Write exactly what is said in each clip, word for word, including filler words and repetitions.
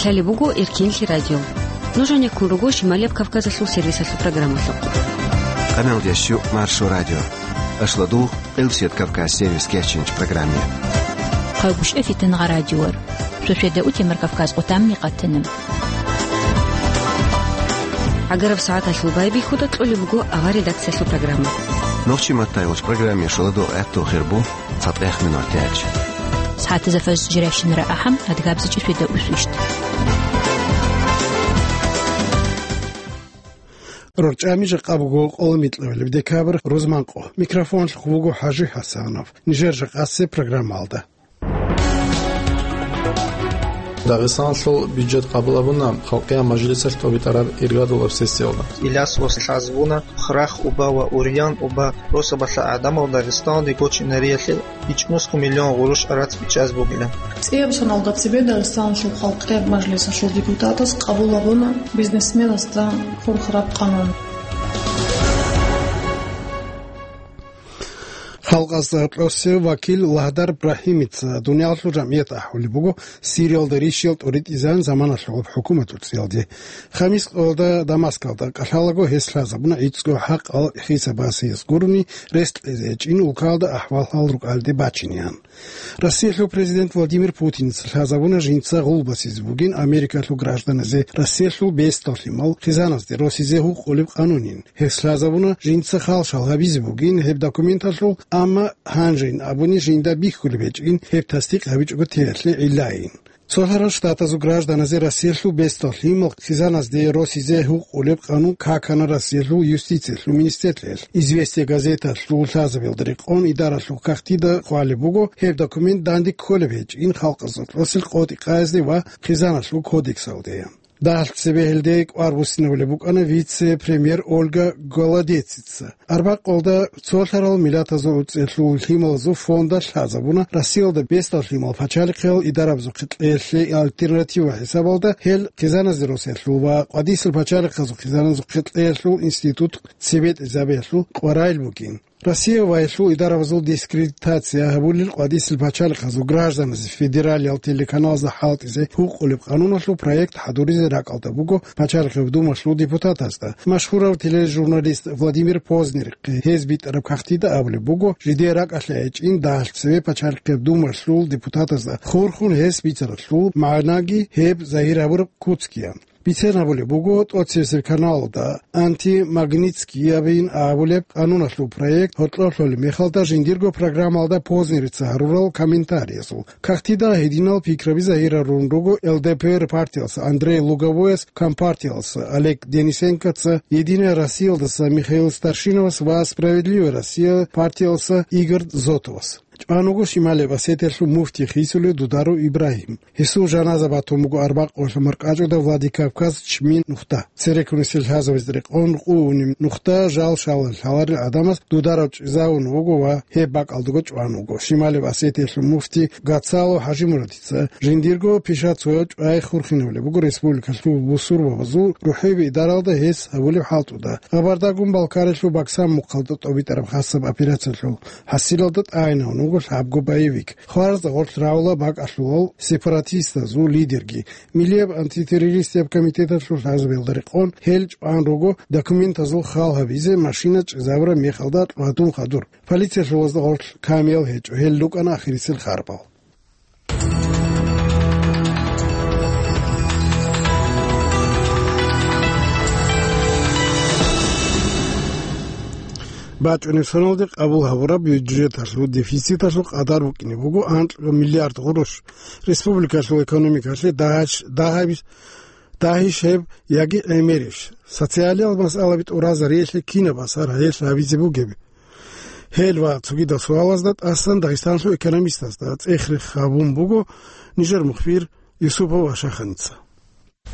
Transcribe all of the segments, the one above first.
Лъалеб буго Эркенлъи радио. Нуж гьанеккун руго Шималияб Кавказалъул сервисалъул программалъухъ. Къамелдеш ю Маршо радио. Ашлодугъ, Къилсият Кавказ сервис кечинч программе. Хъагуш эфитан гъа радиор. Шошеда утемар Кавказ къутамни къатана. ГӀагараб сагӀаталъул байбихьуда кьолеб буго авар редакциялъул программа. Нохчи маттайгъуч программе шоладугъ гӀатту хирбу. ЦатӀех минутач. СагӀатазда фаз жиращинара ахӀам, адгабзичӀи фида усвищт. РорчӀами жакъа буго къоло микьабилеб декабрь, рузманкъо. Микрофонлъухъ вуго ХӀажи ХӀасанов. Нижер жакъасеб программалда. Дагъистаналъул бюджет къабул гьабуна Халкъиял мажлисалъ тӀобитӀараб иргадулаб сессиялда. Иляс лъазабуна хърахъ уба ва урьян уба росабалъа гӀадамал Дагъистаналде гочинариялъе ичӀнусго миллион гъурущ арацӀ бичӀчӀаз бугилан. ЦӀияб соналда цебе Дагъистаналъул Халкъияб мажлисалъул депутатас къабул гьабуна бизнесменасда хурхараб къанун. Халкъалъул гӀаслуялъул вакил Лагьдар Брагьимица дуниялалъул жамгӀият ахӀулеб буго Сириялда рищиялъ тӀоритӀизабун заманалъухъ хӀукуматалъул цӀиялде. Хамис къоялда Дамаскалда кӀалъалаго гьес лъазабуна гӀицӀго хӀакъал хисабасиялъ гурони рес кьезе гьечӀин улкалда ахӀвал-хӀал рукӀалде бачинеян. Россиялъул президент Владимир Путинца лъазабуна жинца гъул басизе бугин Америкалъул гражданазе Россиялъул бесдал лъимал хъизаназде росизе гьукъулеб къанунин. Гьес лъазабуна жинца халшал гьабизе бугин гьеб документалъул, амма гьанжейин абуни жинда бихьулеб гьечӀин гьеб тасдикъ гьабичӀого теялъе гӀиллайин. Цолъарал Штатазул гражданазе Россиялъул бесдал лъимал хъизаназде росизе гьукъулеб къанун какана Россиялъул юстициялъул министрлъиялъ. «Известия» газеталъул лъазабиялда рекъон идаралъул кагътида хъвалеб буго, гьеб документ данде кколеб гьечӀин халкъалъул гӀаслуялъул къотӀи-къаязде ва хъизаналъул кодексалде. Дагьалъ цебе гьелде кӀвар буссинабулеб букӀана вице-премьер Ольга Голодецица. Арбакъалда цолъарал миллатазул цӀелъул лъималазул фонда лъазабуна Россиялда бесдал лъимал пачалихъал идарабазухъе кьеялъе альтернатива хӀисабалда гьел хъизаназде росиялъул ва къвадисел пачалихъазул хъизаназухъе кьеялъул институт цебетӀезабиялъул къваригӀел букӀин. Россия ва гьелъул идарабазул дискредитация гьабулел къвадисел пачалихъазул гражданазе федералиял телеканалазда хӀалтӀизе гьукъулеб къануналъул проект хӀадуризе ракӀалда буго Пачалихъеб Думалъул депутатазда. Машгьурав тележурналист Владимир Познерихъе гьез битӀараб кагътида абулеб буго, жидее ракӀалъе гьечӀин дагьалъ цеве Пачалихъеб Думалъул депутатазда хурхун гьес бицаралъул магӀнаги гьеб загьир гьабураб куцгиян. Бицен абулеб буго, тӀоцебесеб каналалда антимагнитскиябин абулеб къануналъул проект гьоркьоб лъолеб мехалда жиндирго программалда Познерица гьарурал комментариязул кагътида гьединал пикраби загьирарун руго Л Д П Р партиялса Андрей Луговояс, Компартиялса Олег Денисенкоца, «Единая Россиялдаса» Михаил Старшиновас ва «Справедливая Россия» партиялса Игорь Зотовас. ЧӀван вуго Шималияб Осетиялъул муфти хисулев Дударов Ибрагьим. Гьесул жаназа батун буго арбакъ къоялъ маркӀачӀуда Владикавказ чми нухда. Церекунисел лъазабазда рекъон къугьунеб нухда жал-шал лъаларел гӀадамаз Дударов чӀезавун вуго ва гьеб бакӀалдаго чӀван вуго. Шималияб Осетиялъул муфти Гацало ХӀажимурадица жиндирго пишацояв чӀвай хурхинабулеб буго республикалъул бусурбабазул рухӀияб идаралда гьес гьабулеб хӀалтӀуда. Хабардагун Балкариялъул Баксан мухъалда тӀобитӀараб хасаб операциялъул хӀасилалда тӀагӀинавун вуго лъабго боевик. Хваразда гъорлъ рагӀула бакӀалъулал сепаратистазул лидерги. Миллияб антитеррористияб комитеталъул лъазабиялда рекъон гьел чӀван руго документазул хал гьабизе машина чӀезабураб мехалда гьадун хадур. Полициялъулазда гъорлъ камиял гьечӀо, гьел рукӀана ахирисел харбал. БачӀунеб соналде къабул гьабураб бюджеталъул дефициталъул къадар букӀине буго анкьго миллиард гъурущ. Республикалъул экономикалъе дагьаш-, дагьабищ, дагьищ гьеб яги гӀемерищ? Социалиял масъалаби тӀуразариялъе кинаб асар гьелъ гьабизе бугеб? Гьел ва цогидал суалазда тӀасан Дагъистанлъул экономистазда цӀех-рех гьабун буго нижер мухбир Юсупов Ашаханица.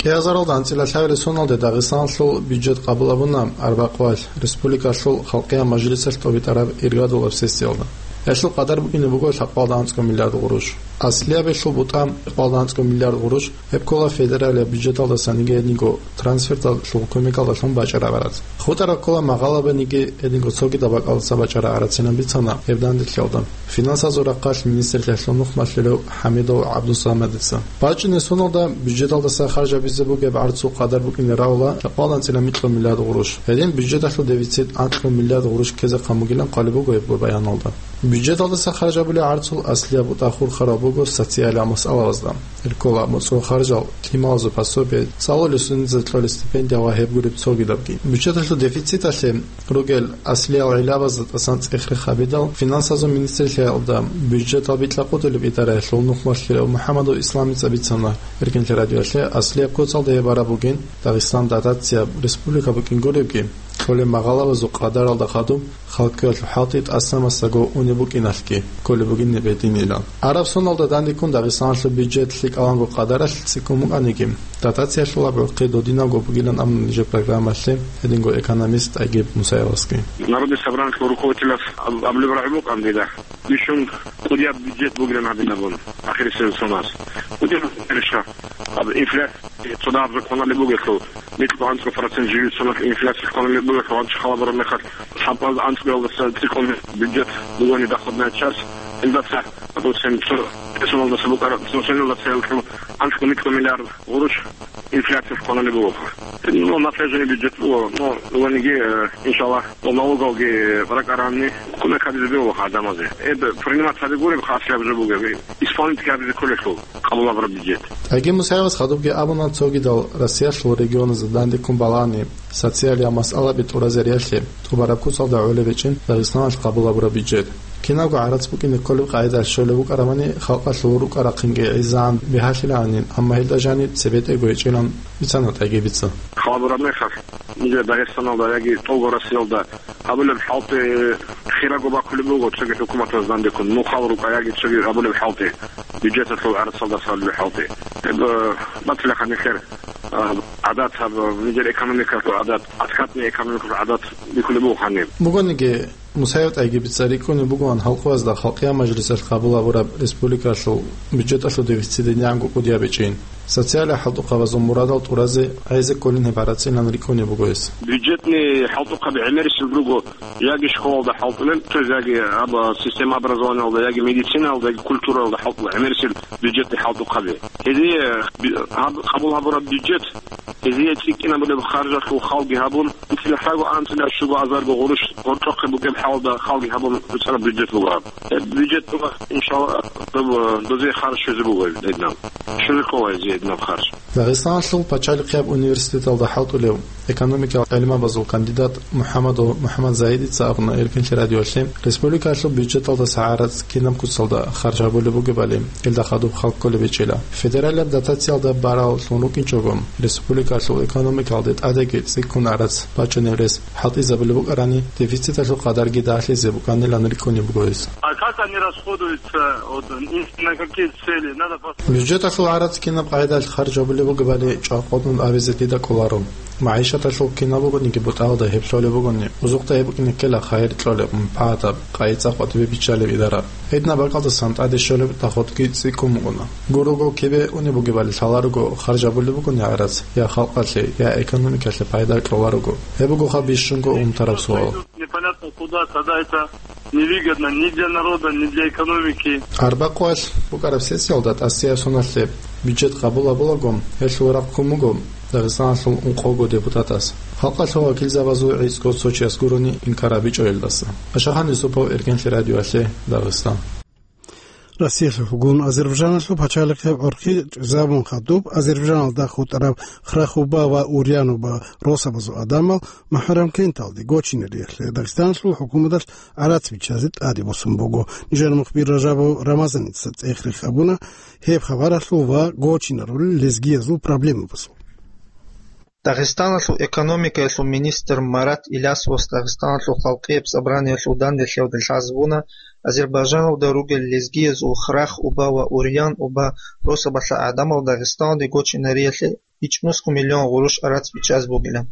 КӀиазаралда анцӀила лъабилеб соналде Дагъистаналъул бюджет къабул гьабуна арбакъ къоялъ республикалъул Халкъиял мажлисалъ тӀобитӀараб иргадулаб сессиялда. Гьелъул къадар букӀине буго лъабкъоялда анцӀго миллиард гъурущ. Аслиябилъул бутӀа кӀикъоялда анцӀго миллиард гъурущ, гьеб ккола федералияб бюджеталдасаниги гьединго трансферталъул кумекалдалъун бачӀараб гӀарац. ХутӀараб ккола магъалабаниги гьединго цогидал бакӀалдаса бачӀараб гӀарацинан бицана гьеб данделъиялда финансазул рахъалъ министрлъиялъул нухмалъулев ХӀамидов ГӀабдусамадица. БачӀунеб соналда бюджеталдаса харжабизе бугеб гӀарцул къадар букӀине равла кӀикъоялда анцӀила микьго миллиард гъурущ. Гьедин бюджеталъул дефицит анкьго миллиард гъурущ ккезе хъамугилан хъвалеб буго гьеб баяналда. Бюджеталдаса харжабулеб гӀарцул аслияб бутӀа хурхараб буго социалияб масъалабазда. Гьел ккола моцӀрол харжал, лъималазул пособие, цӀалулел студентазда кьолеб стипендия ва гьеб гуреб цогидабги. Бюджеталъул дефициталъе ругел аслиял гӀиллабазда тӀасан цӀех-рех гьабидал, финансазул министрлъиялда бюджетал бикьа-къотӀулеб идараялъул нухмалъулев МухӀаммадов Исламица бицана Эркенлъи радиоялъе, аслияб куцалда гьеб бараб бугин Дагъистан дотацияб республика букӀин гуребги, кьолеб магъалабазул къадаралда хадуб, халкъиялъул хӀалтӀи тӀаса-масаго унеб букӀиналъги кколеб бугин гьеб гьединилан. Араб соналда дандеккун Дагъистаналъул бюджет лъикӀаланго къадаралъ цӀикӀкӀун букӀаниги, дотациялъул аб гӀурхъи додинабго бугилан абуна нижер программалъе гьединго экономист ТӀайгиб Мусаевасги. Народный собраниялъул руководителас аб-, абулеб рагӀи букӀана дида. Бищун кӀудияб бюджет бугилан гьадинабун, ахирисеб соназ. КӀудияб бюджет, аб инфляция цодагьаб законалъ бугелъул, микьго анцӀго процент живицунал инфляция хъвалеб бугелъул, гьанчи халабураб мехалъ, лъабкъоялда анцӀгоялдаса цӀикӀкӀун бюджет бугони доходная часть, илдаса, допустим, цо пенсионалдаса букӀараб, пенсионалдаса гьелъул анцӀго микьго миллиард гъурущ инфляция хъвалеб буго. Ну, напряженный бюджет буго, но, ваниги, э, иншаллагь, налогалги ракӀаранни, кумек гьабизе бегьула гӀадамазе. Эб принимать гьаби гуреб, хаслъаб жо бугеб, исполнить гьабизе кколелъул къабулабураб бюджет. ТӀайгиб Мусаевас хадубги абуна, цогидал Россиялъул регионазда дандеккун балагьани, социалияб масъалаби тӀуразе риялъе тӀубараб куцалда гӀолеб гьечӀин Дагъистаналъ къабулабураб бюджет. Кинабго гӀарац букӀине кколеб къагӀидалъ щолеб букӀарамани, халкъалъул рукӀа-рахъинги гӀезегӀан бигьалъилаанин, амма гьелда жаниб цебетӀего гьечӀилан бицана ТӀайгибица. Халабураб мехалъ, нижер Дагъистаналда яги тӀолго Россиялда гьабулеб хӀалтӀи хирабго бакулеб буго цоги хӀукуматаз дандеккун, нухал рукӀа яги цоги гьабулеб хӀалтӀи, бюджеталъул гӀарцалдаса гьабулеб хӀалтӀи. Гьеб, э, батилаха нилъер, э, гӀадат, гьаб, нижер экономикалъул гӀадат, откатный экономикалъул гӀадат бихьулеб буго гьаниб. Бугониги, Мусаев ТӀайгибица рикӀкӀунеб бугоан халкъазда Халкъиял мажлисалъ къабул гьабураб республикалъул бюджеталъул дефицит динягӀанго кӀудияб гьечӀин. Социалияб хӀалтӀухъабазул мурадал тӀуразе гӀезе кколин гьеб гӀарацинан рикӀкӀунеб буго гьес. Бюджетный хӀалтӀухъаби гӀемерисел руго, яги школалда хӀалтӀулел, то есть яги аб-, система образованиялда, яги медицинаялда, яги культуралда хӀалтӀулел гӀемерисел бюджетный хӀалтӀухъаби. Гьезие би-, гьаб-, къабул гьабураб бюджет, гьезие цӀикӀкӀинабулеб харжалъул халги гьабун, анцӀила лъабго, анцӀила щуго азарго гъурущ гъоркьохъе букӀеб хӀалда халги гьабун буцӀараб бюджет буго гьаб. Гьеб бюджет буго, иншалла, доб-, дозие харж щвезе буго гьединаб. Щвезе ккола гьезие гьединаб харж. Дагъистаналъул пачалихъияб университеталда хӀалтӀулев, экономикал гӀилмабазул кандидат МухӀаммадов МухӀаммад Загьидица абуна Эркенлъи радиоялъе, республикалъул бюджеталдаса гӀарац кинаб куцалда харж гьабулеб бугебали, гьелда хадуб халкъ кколеб гьечӀила. Федералияб дотациялда бараллъун рукӀинчӀого, республикалъул экономикалде тӀадеги цӀикӀкӀун гӀарац бачӀунеб рес хӀалтӀизабулеб букӀарани, дефициталъул къадарги дагьлъизе букӀанилан рикӀкӀунеб буго гьес. А как они расходуются? Вот, на какие цели? Надо пос- Бюджеталъул гӀарац кинаб къагӀидалъ харж гьабулеб бугебали чӀвакъватӀун абизе дида кӀоларо. МагӀишаталъул кинаб бугониги бутӀаялда гьеб лъолеб бугони, узухъда гьеб букӀине ккела хайир кьолеб, манпагӀатаб, къайи-цӀакъ батӀибе биччалеб идара. Гьединаб бакӀалдасан тӀаде щолеб доходги цӀикӀкӀун букӀуна. Гурого кибе унеб бугебали лъаларого харж гьабулеб бугони гӀарац, я халкъалъе, я экономикалъе пайда кьоларого. Гьеб бугоха бищунго унтараб суал. Непонятно куда, тогда это невыгодно ни для народа, ни для экономики. Арбакъуалъ букӀараб сессиялда тӀасияб соналъе бюджет къабул гьабулаго, гьелъул рахъ ккун буго Дагъистаналъул ункъого депутатас. Халкъалъул вакилзабазул гӀицӀго цо чияс гурони инкар гьабичӀо гьелдаса. Ашахан Юсупов, Эркенлъи радиоялъе, Дагъистан. Россиялъулгун Азербайджаналъул пачалихъияб гӀурхъи чӀезабун хадуб, Азербайджаналда хутӀараб Храхуба ва Урянуба росабазул гӀадамал МухӀаррамкенталде гочинариялъе Дагъистаналъул хӀукуматалъ гӀарац биччазе тӀаде босун буго. Нижер мухбир Ражабов Рамазаница цӀех-рех гьабуна гьеб хабаралъул ва гочинарулел лезгиязул проблемабазул. Дагъистаналъул экономикаялъул министр Марат Илясовас Дагъистаналъул халкъияб собраниялъул данделъиялда лъазабуна, Азербайджаналда ругел лезгиязул Храхуба ва Урянуба росабалъа гӀадамал Дагъистаналде гочинариялъе ичӀнусго миллион гъурущ гӀарац бичӀчӀаз бугилан.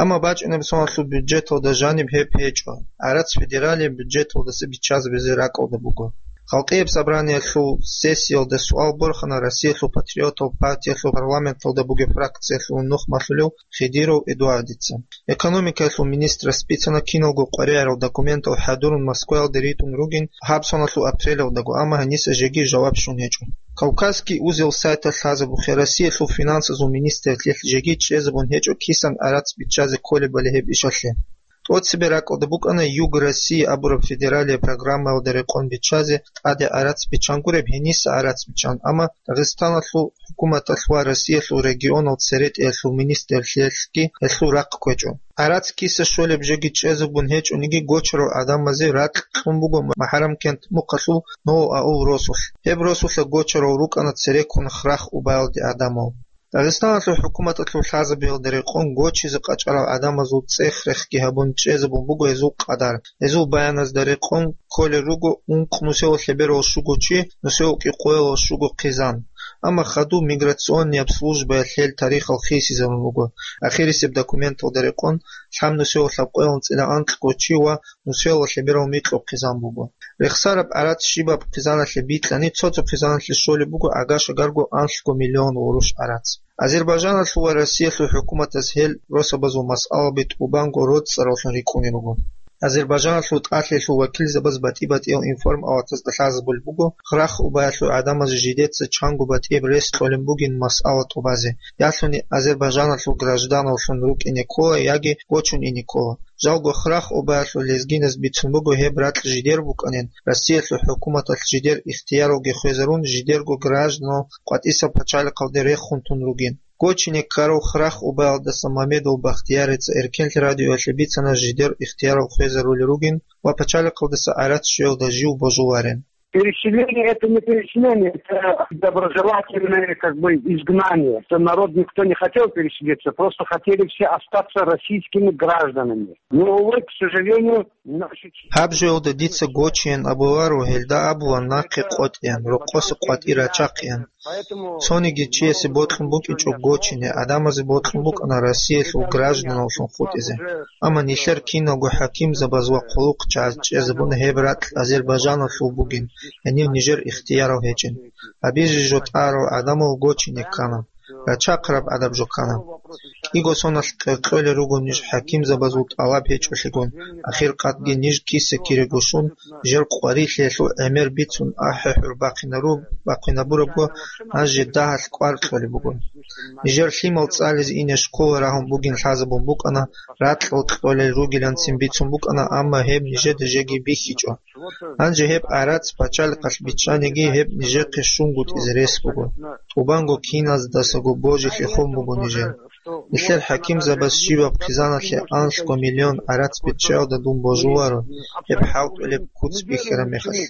Амма бачӀунеб соналъул бюджеталда жаниб гьеб гьечӀо, гӀарац федералияб бюджеталдаса биччазабизе ракӀалда буго. Халкъияб собраниялъул сессиялда суал борхана Россиялъул патриотал партиялъул парламенталда бугеб фракциялъул нухмалъулев Хидиров Эдуардица. Экономикаялъул министрас бицана киналго къваригӀарал документал хӀадурун Москваялде ритӀун ругин гьаб соналъул апрелалдаго, амма гьаниса жеги жаваб щун гьечӀо. Кавказский узел сайталъ лъазабухъе Россиялъул финансазул министрлъиялъ жеги чӀезабун гьечӀо кисан гӀарац биччазе кколебали гьеб ишалъе. ТӀоцебе ракӀалда букӀана Юг России абураб федералияб программаялда рекъон биччазе тӀаде гӀарац биччан гуреб, гьениса гӀарац биччан, амма Дагъистаналъул хӀукуматалъ ва Россиялъул регионал церетӀиялъул министрлъиялъги гьелъул рахъ кквечӀо. ГӀарац киса щолеб жеги чӀезабун гьечӀониги, гочарал гӀадамазе ракь кьун буго МахӀарамкент мухъалъул Новоаул росулъ. Гьеб росулъа гочарал рукӀана цереккун Храх убаялде гӀадамал. Дагъистаналъул хӀукуматалъул лъазабиялда рекъон гочизе къачӀарал гӀадамазул цӀех-рехги гьабун чӀезабун буго гьезул къадар. Гьезул баяназда рекъон кколел руго ункъ нусевал лъеберал щуго чи, нусевал кӀикъоялал щуго хъизан. Амма хадуб миграционнияб службаялъ гьел тарихал хисизабун буго. Ахирисеб документалда рекъон, лъаб нусевал лъабкъоялда анкьго чи ва нусевал лъеберал микьго хъизан буго. Рехсараб гӀарац щибаб хъизаналъе бикьани, цо-цо хъизаналъе щолеб буго агаша-гарго анлъго миллион гъурущ гӀарац. Азербайжаналъул ва Россиялъул хӀукуматаз гьел росабазул масъалаби тӀубанго роцӀцӀаравлъун рикӀкӀунел руго. Азербайжаналъул тӀалъиялъул вакилзабаз батӀи-батӀиял информалатазда лъазабулеб буго, Храх убаялъул гӀадамазе жидеца чанго батӀияб рес кьолеб бугин масъала тӀубазе, ялъуни Азербайжаналъул гражданавлъун рукӀине ккола яги гочун ине ккола. Жалго Храх убаялъул лезгиназ бицун буго гьеб ракь жидер букӀанин, Россиялъул хӀукуматалъ жидер ихтияралги хвезарун, жидерго гражданал къватӀисаб пачалихъалде рехун тун ругин. Гочине ккарав Храх убаялдаса Мамедов Бахтиярица Эркенлъи радиоялъе бицана жидер ихтиярал хвезарулел ругин ва пачалихъалдаса гӀарац щуялда жив божуларин. Переселение — это не переселение, это доброжелательное, как бы, изгнание. Это народ никто не хотел переселиться, просто хотели все остаться российскими гражданами. Но, увы, к сожалению, наши... Гьаб жоялда дица гочиян абуларо, гьелда абула нахъе къотӀеян, рокъоса къватӀир рачахъеян. Цониги чиясе бокьун букӀинчӀо гочине, гӀадамазе бокьун букӀана Россиялъул гражданавлъун хутӀизе. Амма нилъер киналго хӀакимзабаз ва хъулухъчагӀаз чӀезабуна гьеб ракь Азербайжаналъул бугин, гьенив нижер ихтиярал гьечӀин. Гьабизе жо тӀарал гӀадамал гочине ккана. Рачахъараб гӀадаб жо ккана. КӀиго соналъ къеркьолел руго ниж хӀакимзабазул тӀалаб гьечӀолъигун, ахиркъатги ниж киса-кирего щун, нижер къварилъиялъул гӀемер бицун ахӀи-хӀур бахъинару-, бахъинабурабго, гьанже дагьалъ кӀвар кьолеб буго. Нижер лъимал цӀализе ине школа рагьун бугин лъазабун букӀана, ракьал кьолел ругиланцин бицун букӀана, амма гьеб нижеда жеги бихьичӀо. Гьанже гьеб гӀарац пачалихъалъ биччаниги, гьеб нижехъе щунгутӀизе рес буго. ТӀубанго киназдасаго божилъи хун буго нижер. Нилъер хӀакимзабаз щибаб хъизаналъе анлъго миллион гӀарац биччаялда дун божуларо, гьеб хӀалтӀулеб куц бихьараб мехалъ.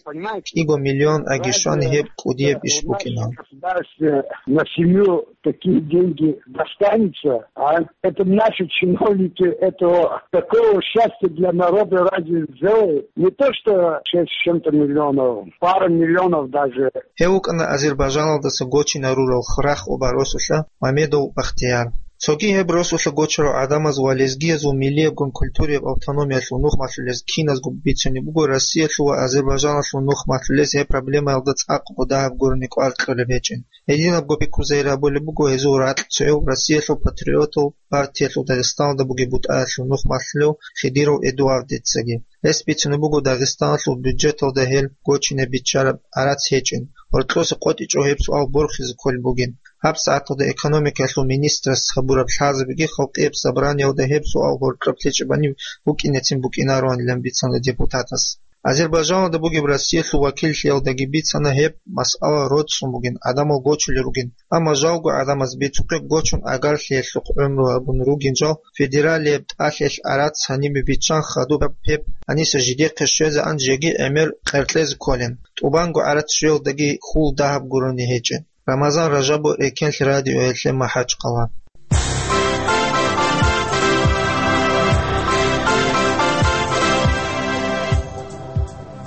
КӀиго миллион аги щвани гьеб кӀудияб иш букӀина. Государстве на семью такие деньги достанется, а это наши чиновники этого такого счастья для народа разве сделают? Не то что шесть с чем-то миллионов, пара миллионов даже. Гьев вукӀана Азербайжаналдаса гочинарурал Храх оба росулъа Мамедов Бахтияр. Цоги гьеб росулъа гочарал гӀадамаз ва лезгиязул миллиябгун культурияб автономиялъул нух малъулез киназго бицунеб буго Россиялъул ва Азербайжаналъул нух малъулез гьеб проблемаялда цӀакъго дагьаб гурони кӀвар кьолеб гьечӀин. Гьединабго пикру загьир гьабулеб буго гьезул ракьцояв Россиялъул патриотал партиялъул Дагъистаналда бугеб бутӀаялъул нух малъулев Хидиров Эдуардицаги. Гьес бицунеб буго Дагъистаналъул бюджеталда гьел гочине биччараб гӀарац гьечӀин. Гьоркьоса къотӀичӀо гьеб суал борхизе кколеб бугин. ГьабсагӀаталда экономикаялъул министрас гьабураб лъазабиги халкъияб собраниялда гьеб суал гьоркьоб лъечӀебани букӀинецин букӀинароанилан бицана депутатас. Азербайжаналда бугеб Россиялъул вакиллъиялдаги бицана гьеб масъала роцӀцӀун бугин, гӀадамал гочулел ругин. Амма жалго гӀадамаз бицухъе гочун агарлъиялъухъ гӀумру гьабун ругин жал федералияб тӀалъиялъ гӀарац гьанибе биччан хадуб гьеб гьаниса жидехъе щвезегӀан жеги гӀемер къеркьезе кколин. ТӀубанго гӀарац щвеялдаги хьул дагьаб гурони гьечӀин. Рамазан Ражабов, Эркенлъи радиоялъе, МахӀачхъала.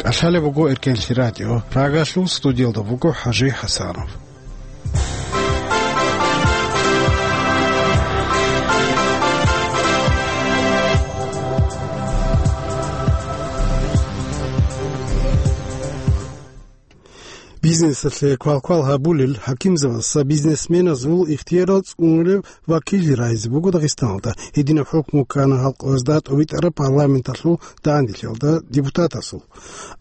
КӀалъалеб буго Эркенлъи радио. Прагалъул студиялда буго ХӀажи ХӀасанов. Бизнесалъе квалквал гьабулел хӀакимзабазда бизнесменазул ихтиярал цӀунулеб вакиллъи рагьизе буго Дагъистаналда. Гьединаб хӀукму ккана гьалкъоязда тӀовитӀараб парламенталъул дагӀандилъиялда депутатасул.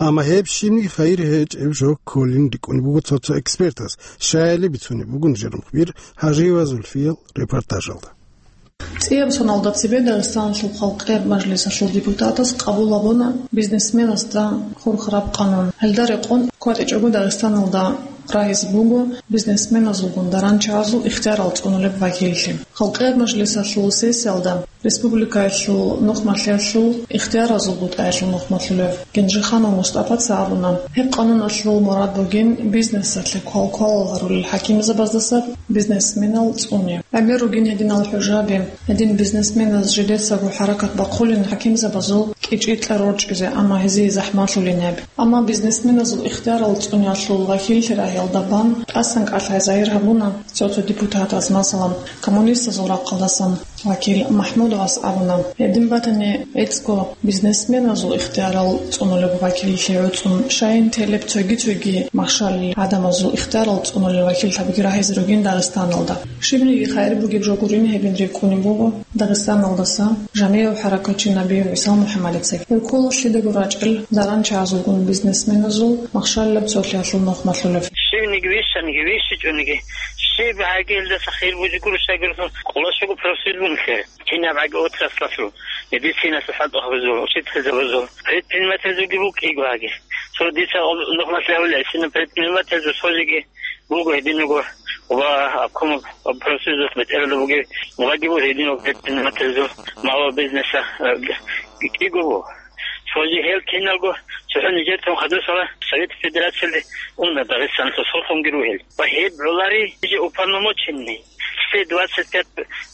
Амма гьеб щибниги хайир гьечӀеб жо кколин рикӀкӀунеб буго цо-цо экспертаз. Щайили бицунеб буго нижер мухбир ХӀажиева Зульфиял репортажалда. ЦӀияб соналда цебе Дагъистаналъул халкъияб мажлисалъул депутатас къабул гьабуна бизнесменасда хурхараб къанун. Гьелда рекъон ккватӀичӀого Дагъистаналда рагьизе буго бизнесменазулгун даранчагӀазул ихтиярал цӀунулеб вакиллъи. Халкъияб мажлисалъул сессиялда республикаялъул нухмалъиялъул ихтияразул бутӀаялъул нухмалъулев Генжиханов Мустапаца абуна, гьеб къануналъул мурад бугин бизнесалъе квалквалал гьарулел хӀакимзабаздаса бизнесменал цӀуне. ГӀемер ругин гьединал хӀужаби, гьедин бизнесменаз жидецаго хӀаракат бахъулин хӀакимзабазул кӀичӀи-кьа рорчӀизе, амма гьезие захӀмалъулин гьеб. Амма бизнесменазул ихтиярал цӀуниялъул вакиллъи рагьиялда бан тӀасан кӀалъай загьир гьабуна цо-цо депутатаз, масалан, коммунистазул рахъалдасан вакил МахӀмудовас абуна, гьедин батани, гӀицӀго бизнесменазул ихтиярал цӀунулеб вакиллъи гӀуцӀун, щайин телеб цоги-цоги махщалил гӀадамазул ихтиярал цӀунулел вакиллъабиги рагьизе ругин Дагъистаналда. Щибниги хайир бугеб жо гурин гьебин рикӀкӀунеб буго Дагъистаналдаса жамигӀав хӀаракатчи Набиев ГӀисал МухӀаммадица. Гьев ккола лъидаго рачӀел даранчагӀазулгун бизнесменазул махщалилаб цолъиялъул нухмалъулев. Щибниги вищаниги, вищичӀониги, щиб гӀагелдаса хир бугеб гуро, щайгурелъул къоло щуго профсоюз бугелъул. Кинаб гӀаги отраслалъул, медициналъул хӀалтӀу гьабазул, учительзабазул, предпринимательзулги букӀиго гьаги. Цо дица нухмалъ гьавиле, гьесина предпринимательзул цо жеги буго гьединого ва обком профсоюзалъ бетӀералда бугев, ваги буго гьединого предпринимательзул, малого бизнеса, э, кӀиго буго. Цо жеги гьел киналго цохӀо нижер тун хадусала Совет Федерациялде уна Дагъистаналъул сорхунги ругел. Ва гьеб гӀолари же уполномоченный. Все двадцать пять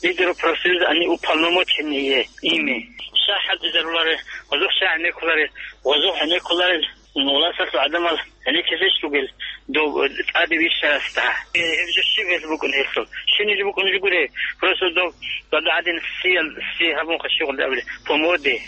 лидеров профсоюза, они уполномоченные ими. Щай хӀалтӀизарулари, гъозухъ щай гӀенеккулари, гъозухъ гӀенеккулари, власталъул гӀадамал гӀенеккизеч ругел дов тӀаде вищарасда. Э, гьеб жо щиб гьелъ букӀун гьелъул? Щибниги букӀун жугуре, просто дов гьадин сиял, си гьабун хъащугъун абулеб, по моде,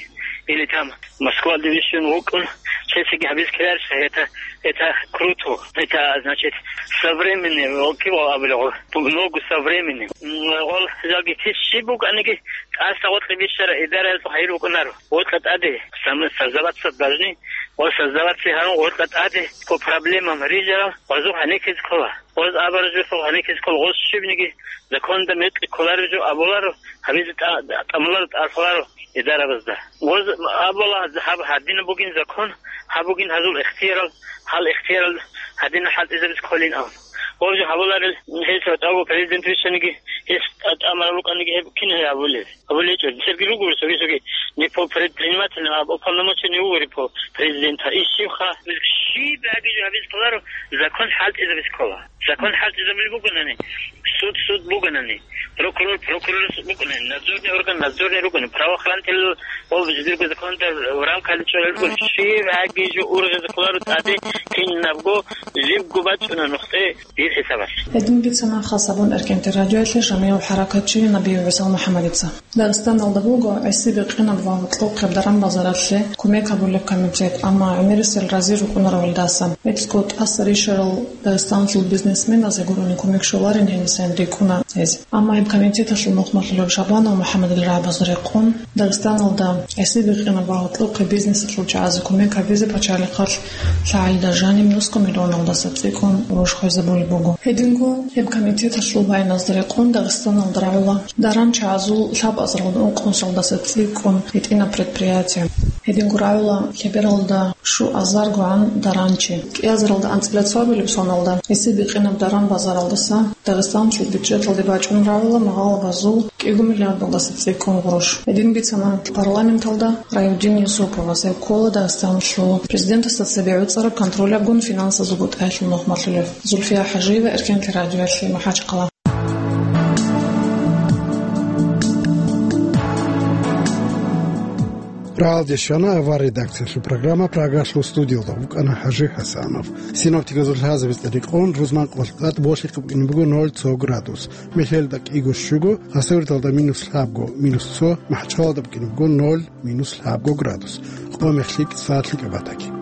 или там Москвалде вищун вукӀун, чесиги гьабиз ккеларищ, это, это круто, это, значит, современный, волки вал абулеб, ногу современный. М, гъол жалги тис щиб букӀаниги, тӀаса гъоркье бищараб идараялъул хайир букӀунаро. Гъоркьа тӀаде сам-, создаваться должны, гъол создаваться гьарун гъоркьа тӀаде по проблемам рижарал, гъозухъ гьанекизе ккола. Гъоз абараб жоялъухъ гьанекизе ккола, гъоз щибниги законда мекъи кколареб жо абуларо, гьабизе тӀа-, тӀамуларо, тӀалъуларо идарабазда. Гъоз абула, гьаб гьадинаб бугин закон, гьаб бугин гьазул ихтиярал, гьал ихтиярал гьадинал хӀалтӀизабизе кколин абун. Гъоз жо гьабуларел, гьес ватӀаго президент вищаниги, гьес тӀа-, тӀамурал рукӀаниги гьеб кин гьабулеб? ГьабулечӀо, церги руго цоги-цоги не по предпринимателям, а уполномоченный вугори по президента. И щибха, щиб гьабизе гьабизе кколаро, закон хӀалтӀизабизе ккола. Закон хӀалтӀизабулеб бугонани, суд суд бугонани, прокурор прокурор бугонани, надзорный орган надзорный ругони, правоохранитель ва жидерго законда в рамках чӀвалел ругони, щиб гьабизе ургъизе кколаро тӀаде кинабго жибго бачӀуна нухде дир хӀисабалъ. Гьедин бицана хасабун РкНТ радиоялъе жамигӀав хӀаракатчи Набиев ГӀисал МухӀаммадица. Дагъистаналда буго гӀисибикъинаб ва гьоркьохъеб даран-базаралъе кумек гьабулеб комитет, амма гӀемерисел рази рукӀунаро гьелдаса. ГӀицӀго тӀаса рищарал Дагъистаналъул бизнесменазе гурони кумек щоларин гьенисан рикӀкӀуна гьез. Амма гьеб комитеталъул нухмалъулев Шабанов МухӀаммадил рагӀабазда рекъон, Дагъистаналда гӀисибикъинаб ва гьоркьохъеб бизнесалъул чагӀазе кумек гьабизе пачалихъалъ лъагӀалида жаниб нусго миллионалдаса цӀикӀкӀун гъурущ хвезабулеб буго. Гьединго гьеб комитеталъул баяназда рекъон Дагъистаналда рагӀула даран чагӀазул лъабазаралда ункънусалдаса цӀикӀкӀун гьитӀинаб предприятие. Гьединго рагӀула лъебералда щуазаргогӀан даранчи. КӀиазаралда анцӀила цоабилеб соналда гӀисибикъинаб даран-базаралдаса Дагъистаналъул бюджеталде бачӀун рагӀула магъалабазул кӀиго миллиардалдаса цӀикӀкӀун гъурущ. Гьедин бицана парламенталда Райудин Юсуповас, гьев ккола Дагъистаналъул президентасда цебе гӀуцӀараб контролябгун финансазул бутӀаялъул нухмалъулев. Зульфия ХӀажиева, РкНТ радиоялъе, МахӀачхъала. Рагьалде щвана авар редакциялъул программа, Прагалъул студиялда вукӀана ХӀажи ХӀасанов. Синоптиказул лъазабица рекъон, рузман къвалъ тӀад болъихъ букӀине буго ноль цо градус. Мехьелда кӀиго щуго, Хасавюрталда минус лъабго, минус цо, МахӀачхъалада букӀине буго ноль, минус лъабго градус. Къо мехлъи кӀиса лъикӀаб батаги.